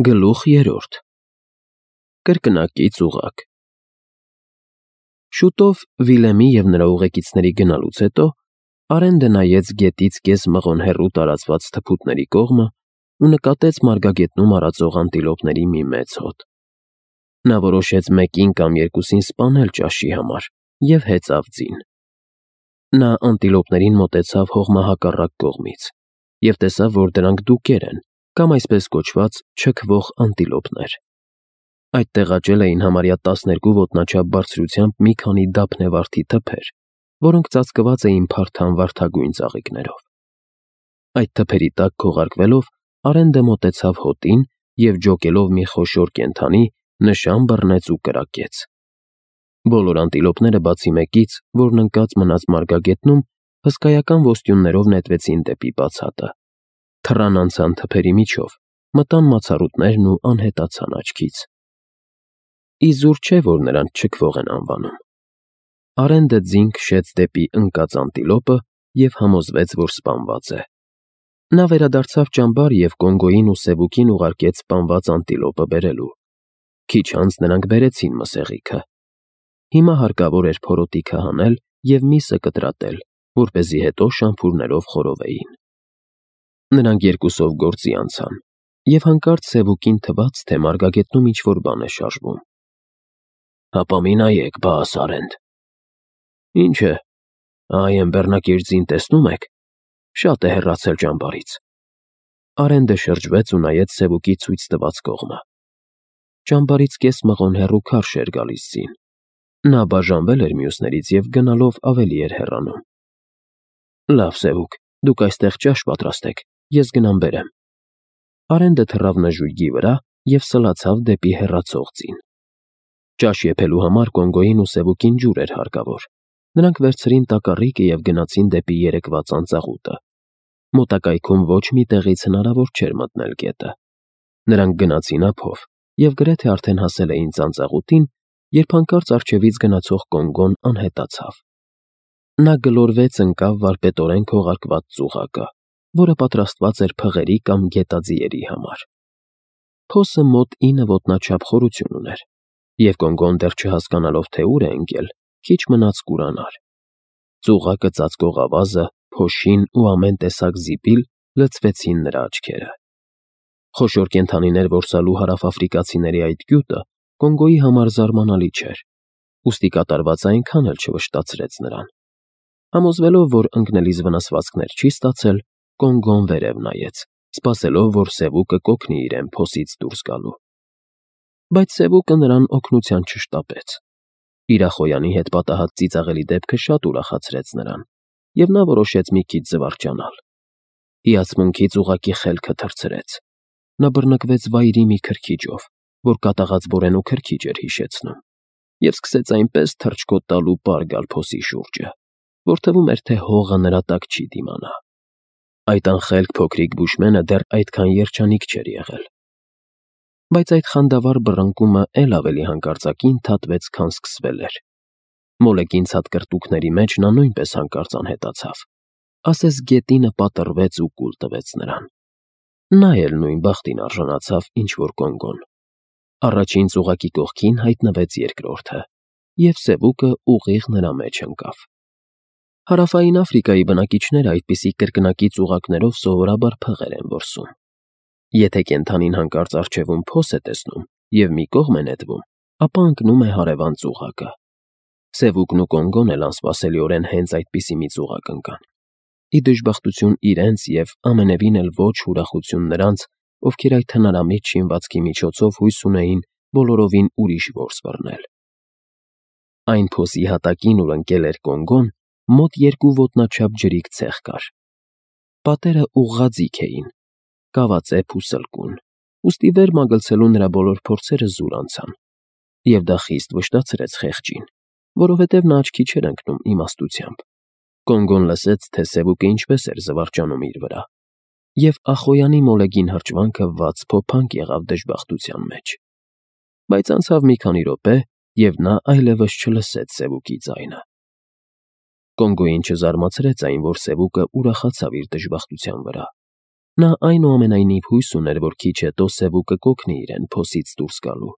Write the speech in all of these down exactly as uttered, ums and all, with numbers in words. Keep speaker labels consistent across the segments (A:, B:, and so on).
A: Գլուխ երրորդ Կրկնակի ծուղակ Շուտով Վիլեմի և նրա ուղեկիցների գնալուց հետո Արենդը նայեց գետից կես մղոն հեռու տարածված թփուտների կողմը ու նկատեց մարգագետնում արածող անտիլոպների մի մեծ հոտ։ Նա որոշեց մեկին կամ երկուսին սպանել ճաշի համար և հեծավ ձին։ Նա անտիլոպներին մոտեցավ հողմահակառակ կողմից և տեսավ, որ դրանք դուկեր են, կամ այսպես կոչված չքվող անտիլոպներ։ Այդտեղ աճել էին համարյա տասներկու ոտնաչափ բարձրությամբ մի քանի դափնեվարդի թփեր, որոնք ծածկված էին փարթամ վարդագույն ծաղիկներով։ Այդ թփերի տակ քողարկվելով Արենդը մոտեցավ հոտին և ջոկելով մի խոշոր կենդանի, նշան բռնեց ու կրակեց։ Բոլոր անտիլոպները բացի մեկից, որն ընկած մնաց մարգագետնում, հսկայական ոստյուններով նետվեցին դեպի բացատը, թռան անցան թփերի միջով, մտան մացառուտներն ու անհետացան աչքից։ Իզուր չէ, որ նրանց չքվող են անվանում։ Արենդը ձին քշեց դեպի ընկած անտիլոպը և համոզվեց, որ սպանված է։ Նա վերադարձավ ճամբար և Կոնգոյին ու Սևուկին ուղարկեց սպանված անտիլոպը բերելու։ Քիչ անց նրանք բերեցին մսեղիքը։ Հիմա հարկավոր էր փորոտիքը հանել և միսը կտրատել, որպեսզի հետո շամփուրներով խորովեին։ Նրանք երկուսով գործի անցան, և հանկարծ Սևուկին թվաց, թե մարգագետնում ինչ-որ բան է շարժվում։ «Հապա մի նայեք, բաս Արենդ»։ «Ինչ է, այ էն բեռնակիր ձին տեսնո՞ւմ եք, շատ է հեռացել ճամբարից»։ Արենդը շրջվեց ու նայեց Սևուկի ցույց տված կողմը։ Ճամբարից կես մղոն հեռու քարշ էր գալիս ձին։ Նա բաժանվել էր մյուսներից և գնալով ավելի էր հեռանում։ «Լավ, Սևուկ, դուք այստեղ ճաշ պատրաստեք, ես գնամ բերեմ»։ Արենդը թռավ նժույգի վրա և սլացավ դեպի հեռացող ձին։ Ճաշ եփելու համար Կոնգոյին ու Սևուկին ջուր էր հարկավոր։ Նրանք վերցրին տակառիկը և գնացին դեպի երեկվա ծանծաղուտը։ Մոտակայքում ոչ մի տեղից հնարավոր չէր մտնել գետը։ Նրանք գնացին ափով և գրեթե արդեն հասել էին ծանծաղուտին, երբ հանկարծ առջևից գնացող Կոնգոն անհետացավ։ Նա գլորվեց ընկավ վարպետորեն քողարկված ծուղակը, որը պատրաստված էր փղերի կամ գետաձիերի համար։ Փոսը մոտ ինը ոտնաչափ խորություն ուներ, և Կոնգոն դեռ չհասկանալով, թե ուր է ընկել, քիչ մնաց կուրանար։ Ծուղակը ծածկող ավազը, փոշին ու ամեն տեսակ զիպիլ լցվեցին նրա աչքերը։ Խոշոր կենդանիներ որսալու հարավաֆրիկացիների այդ գյուտը Կոնգոյի համար զարմանալի չէր, ուստի կատարվածը այնքան էլ չվշտացրեց նրան։ Համոզվելով, որ ընկնելիս վնասվածքներ չի ստացել, Կոնգոն վերև նայեց, սպասելով, որ Սևուկը կօգնի իրեն փոսից դուրս գալու։ Բայց Սևուկը նրան օգնության չշտապեց։ Իր ախոյանի հետ պատահած ծիծաղելի դեպքը շատ ուրախացրեց նրան, և նա որոշեց մի քիչ զվարճանալ։ Հիացմունքից ուղղակի խելքը թռցրեց։ Նա բռնկվեց վայրի մի քրքիջով, որ կատաղած որենու քրքիջ էր հիշեցնում, և սկսեց այնպես թռչկոտ տալ ու պար գալ փոսի շուրջը, որ թվում էր, թե հողը նրա տակ չի դիմանա։ Այդ անխելք փոքրիկ բուշմենը դեռ այդքան երջանիկ չէր եղել։ Բայց այդ խանդավառ բռնկումը էլ ավելի հանկարծակի ընդհատվեց, քան սկսվել էր։ Մոլեգին ցատկրտուքների մեջ նա նույնպես հանկարծ անհետացավ, ասես գետինը պատռվեց ու կուլ տվեց նրան։ Նա էլ նույն բախտին արժանացավ, ինչ որ Կոնգոն։ Առաջին ծուղակի կողքին հայտնվեց երկրորդը, և Սևուկը ուղիղ նրա մեջ ընկավ։ Հարավային Աֆրիկայի բնակիչները այդպիսի կրկնակի ծուղակներով սովորաբար փղեր են որսում։ Եթե կենդանին հանկարծ առջևում փոս է տեսնում և մի կողմ է նետվում, ապա ընկնում է հարևան ծուղակը։ Սևուկն ու Կոնգոն էլ անսպասելիորեն հենց այդպիսի մի ծուղակ ընկան։ Ի դժբախտություն իրենց և ամենևին էլ ոչ ուրախություն նրանց, ովքեր այդ հնարամիտ շինվածքի միջոցով հույս ունեին բոլորովին ուրիշ որս բռնել։ Այն փոսի հատակին, ուր ընկել էր Կոնգոն, մոտ երկու ոտնաչափ ջրիկ ցեղ կար։ Պատերը ուղղաձիգ էին, կավածեպ ու սլկուն, ուստի վեր մագլցելու նրա բոլոր փորձերը զուր անցան, և դա խիստ վշտացրեց խեղճին, որովհետև նա աչքի չէր ընկնում իմաստությամբ։ Կոնգոն լսեց, թե Սևուկը ինչպես էր զվարճանում իր վրա, և ախոյանի մոլեգին հրճվանքը վաց֊փոփանք եղավ դժբախտության մեջ։ Բայց անցավ մի քանի րոպե, և նա այլևս չլսեց Սևուկի ձայնը։ Կոնգոյին չզարմացրեց այն, որ Սևուկը ուրախացավ իր դժբախտության վրա։ Նա այնուամենայնիվ հույս ուներ, որ քիչ հետո Սևուկը կօգնի իրեն փոսից դուրս գալու։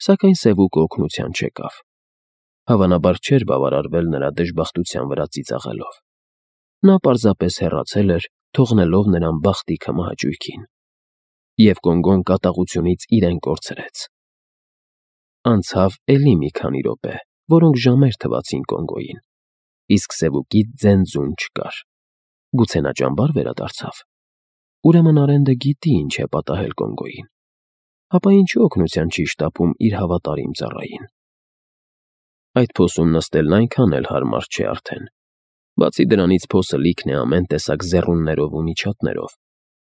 A: Սակայն Սևուկը օգնության չեկավ։ Հավանաբար չէր բավարարվել նրա դժբախտության վրա ծիծաղելով։ Նա պարզապես հեռացել էր, թողնելով նրան բախտի քմահաճույքին։ Եվ Կոնգոն կատաղությունից իրեն կորցրեց։ Անցավ էլի մի քանի րոպե, որոնք ժամեր թվացին Կոնգոյին, իսկ Սևուկի ձեն-ձուն չկար։ Գուցե նա ճամբար վերադարձավ։ Ուրեմն Արենդը գիտի ինչ է պատահել Կոնգոյին։ Ապա ինչու օգնության չի շտապում իր հավատարիմ ծառային։ Այդ փոսում նստելն այնքան էլ հարմար չէ արդեն։ Բացի դրանից փոսը լիքն է ամեն տեսակ զեռուններով ու միջատներով,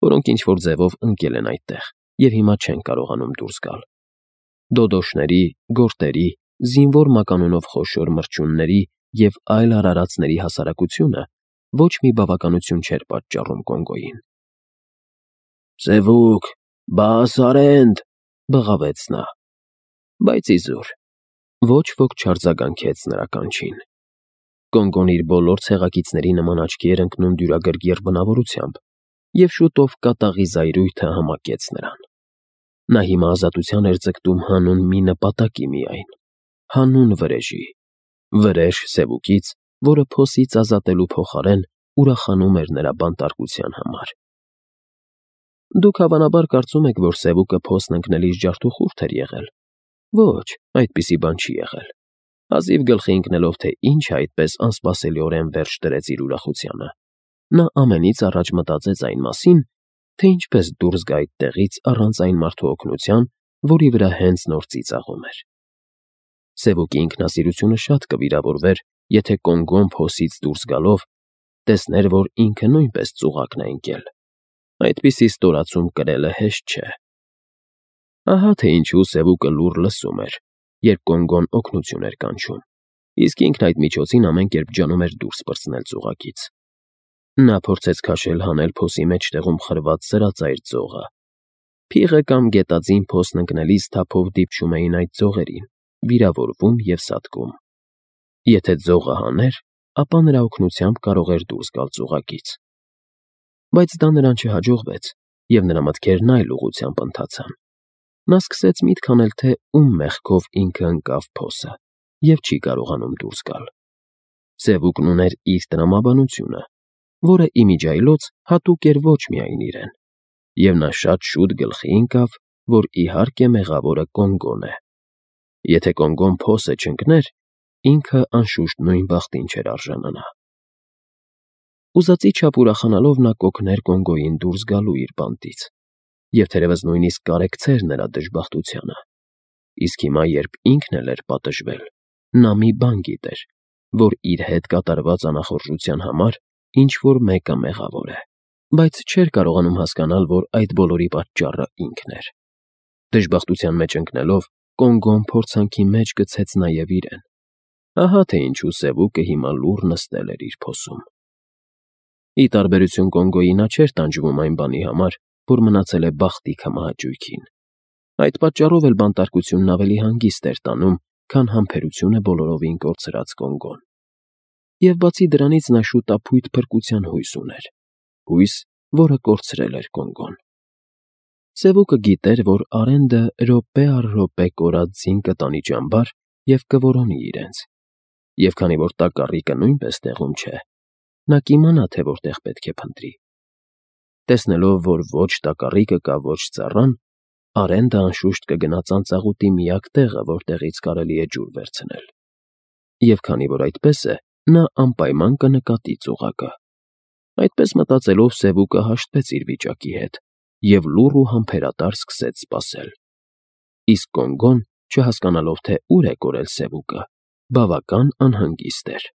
A: որոնք ինչ-որ ձևով ընկել են այդտեղ և հիմա չեն կարողանում դուրս գալ։ Դոդոշների, գորտերի, զինվոր մականունով խոշոր մրջյունների և այլ արարածների հասարակությունը ոչ մի բավականություն չէր պատճառում Կոնգոյին։ «Սևուկ, բաս Արենդ», բղավեց նա։ Բայց իզուր ոչ ոք չարձագանքեց նրա կանչին։ Կոնգոն իր բոլոր ցեղակիցների նման աչքի էր ընկնում դյուրագրգիռ բնավորությամբ և շուտով կատաղի զայրույթը համակեց նրան։ Նա հիմա ազատության էր ձգտում հանուն մի նպատակի միայն՝ հանուն վրեժի, վրեժ Սևուկից, որը փոսից ազատելու փոխարեն ուրախանում էր նրա բանտարկության համար։ Դուք հավանաբար կարծում եք, որ Սևուկը փոսն ընկնելիս ջարդուխուրդ էր եղել։ Ոչ, այդպիսի բան չի եղել։ Հազիվ գլխի ընկնելով, թե ինչ այդպես անսպասելիորեն վերջ դրեց իր ուրախությանը, նա ամենից առաջ մտածեց այն մասին, թե ինչպես դուրս գա այդտեղից առանց այն մարդու օգնության, որի վրա հենց նոր ծիծաղում էր։ Սևուկի ինքնասիրությունը շատ կվիրավորվեր, եթե Կոնգոն փոսից դուրս գալով տեսներ, որ ինքը նույնպես ծուղակն է ընկել։ Այդպիսի ստորացում կրելը հեշտ չէ։ Ահա թե ինչու Սևուկը լուռ լսում էր, երբ Կոնգոն օգնություն էր կանչում, իսկ ինքն այդ միջոցին ամեն կերպ ջանում էր դուրս պրծնել ծուղակից։ Նա փորձեց քաշել հանել փոսի մեջտեղում խրված սրածայր ձողը։ Փիղը կամ գետաձին փոսն ընկնելիս թափով դիպչում էին այդ ձողերին, վիրավորվում և սատկում։ Եթե ձողը հաներ, ապա նրա օգնությամբ կարող էր դուրս գալ ծուղակից։ Բայց դա նրան չհաջողվեց, և նրա մտքերն այլ ուղղությամբ ընթացան։ Նա սկսեց միտք անել, թե ում մեղքով ինքը ընկավ փոսը և չի կարողանում դուրս գալ։ Սևուկն ուներ իր տրամաբանությունը, որը իմիջիայլոց հատուկ էր ոչ միայն իրեն, և նա շատ շուտ գլխի ընկավ, որ իհարկե մեղավորը Կոնգոն է։ Եթե Կոնգոն փոսը չընկներ, ինքը անշուշտ նույն բախտին չէր արժանանա։ Ուզածի չափ ուրախանալով նա կօգներ Կոնգոյին դուրս գալու իր բանտից, և թերևս նույնիսկ կարեկցեր նրա դժբախտությանը։ Իսկ հիմա, երբ ինքն էլ էր պատժվել, նա մի բան գիտեր, որ իր հետ կատարված անախորժության համար ինչ-որ մեկը մեղավոր է, բայց չէր կարողանում հասկանալ, որ այդ բոլորի պատճառը ինքն էր։ Դժբախտության մեջ ընկնելով, Կոնգոն փորձանքի մեջ գցեց նաև իրեն։ Ահա թե ինչու Սևուկը հիմա լուռ նստել էր իր փոսում։ Ի տարբերություն Կոնգոյի, նա չէր տանջվում այն բանի համար, որ մնացել է բախտի քմահաճույքին։ Այդ պատճառով էլ բանտարկությունն ավելի հանգիստ էր տանում, քան համբերությունը բոլորովին կորցրած Կոնգոն։ Եվ բացի դրանից նա շուտափույթ փրկության հույս ուներ, հույս, որը կորցրել էր Կոնգոն։ Սևուկը գիտեր, որ Արենդը րոպե առ րոպե կորած ձին կտանի ճամբար և կորոնի իրենց, և քանի որ տակառիկը նույնպես տեղում չէ, նա կիմանա, թե որտեղ պետք է փնտրի։ Տեսնելով, որ ոչ տակառիկը կա, ոչ ծառան, Արենդը անշուշտ կգնա ծանծաղուտի միակ տեղը, որտեղից կարելի է ջուր վերցնել։ Եվ քանի որ այդպես է, նա անպայման կնկատի ծուղակը։ Այդպես մտածելով Սևուկը հաշտվեց իր վիճակի հետ և լուռ ու համբերատար սկսեց սպասել։ Իսկ Կոնգոն, չհասկանալով, թե ուր է կորել Սևուկը, բավական անհանգիստ էր։